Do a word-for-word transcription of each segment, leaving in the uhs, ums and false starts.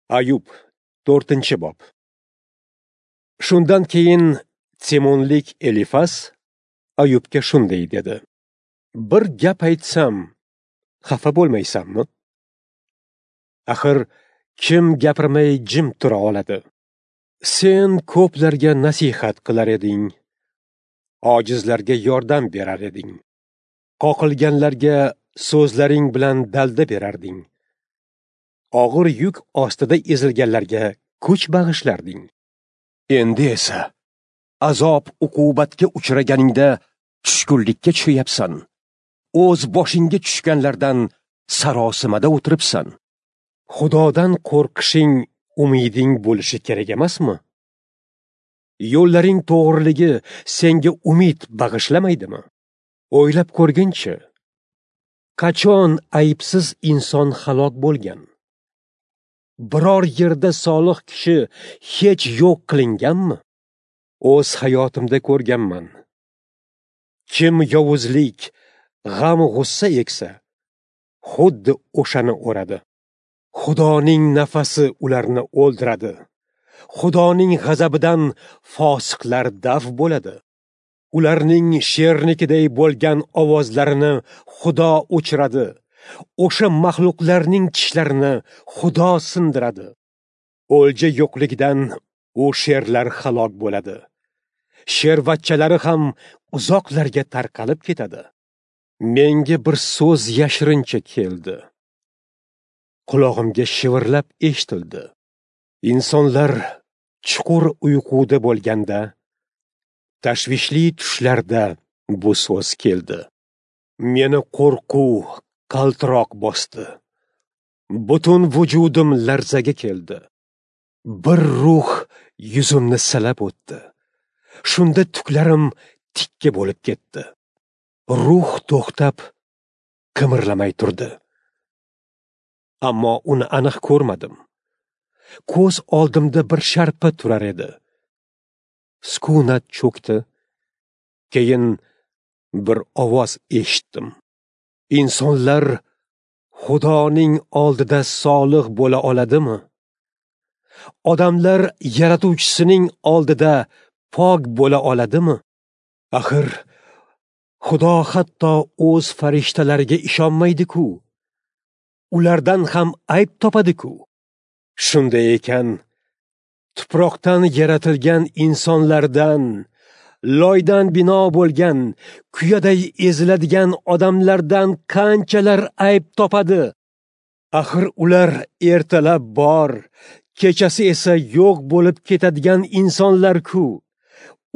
Ayub, to'rtinchi bob. Shundan keyin Temonlik Elifas Ayubga shunday dedi: Bir gap aytsam, xafa bo'lmaysanmi? Axir kim gapirmay jim tura oladi? Sen ko'plarga nasihat qilar eding, ojizlarga yordam berar eding. Qoqilganlarga so'zlaring bilan dalda berarding. Og'ir yuk ostida ezilganlarga kuch bag'ishlarding. Endi esa azob uqubatga uchraganingda tushkunlikka tushyapsan. O'z boshingga tushganlardan sarosimada o'tiribsan. Xudodan qo'rqishing umiding bo'lishi kerak emasmi? Yo'llaring to'g'riligi senga umid bag'ishlamaydimi? O'ylab ko'rginchi, qachon aybsiz inson halok bo'lgan? Biror yerda solih kishi hech yo'q qilinganmi? O'z hayotimda ko'rganman. Kim yovuzlik, g'am-g'ussa eksa, xuddi o'shani o'radi. Xudoning nafasi ularni o'ldiradi. Xudoning g'azabidan fosiqlar daf bo'ladi. Ularning shernikiday bo'lgan ovozlarini Xudo o'chiradi. O'sha maxluqlarning tishlarini Xudo sindiradi. O'lja yo'qligidan u sherlar halok bo'ladi. Shervachchalari ham uzoqlarga tarqalib ketadi. Menga bir so'z yashirincha keldi. Qulog'imga shivirlab eshitildi. Insonlar chuqur uyquda bo'lganda, tashvishli tushlarda bu so'z keldi. Meni qo'rquv, qaltiroq bosdi. Butun vujudim larzaga keldi. Bir ruh yuzimni silab o'tdi. Shunda tuklarim tikka bo'lib ketdi. Ruh to'xtab, qimirlamay turdi. Ammo uni aniq ko'rmadim. Ko'z oldimda bir sharpa turar edi. Sukunat cho'kdi. Keyin bir ovoz eshitdim. Insonlar Xudoning oldida solih bo'la oladimi? Odamlar yaratuvchisining oldida pok bo'la oladimi? Axir Xudo hatto o'z farishtalariga ishonmaydi-ku. Ulardan ham ayb topadi-ku. Shunday ekan, tuproqdan yaratilgan insonlardan, loydan bino bo'lgan, kuyaday eziladigan odamlardan qanchalar ayb topadi? Axir ular ertalab bor, kechasi esa yo'q bo'lib ketadigan insonlar-ku.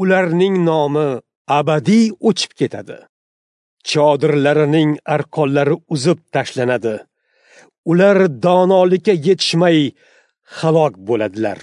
Ularning nomi abadiy o'chib ketadi. Chodirlarining arqonlari uzib tashlanadi. Ular donolikka yetishmay halok bo'ladilar.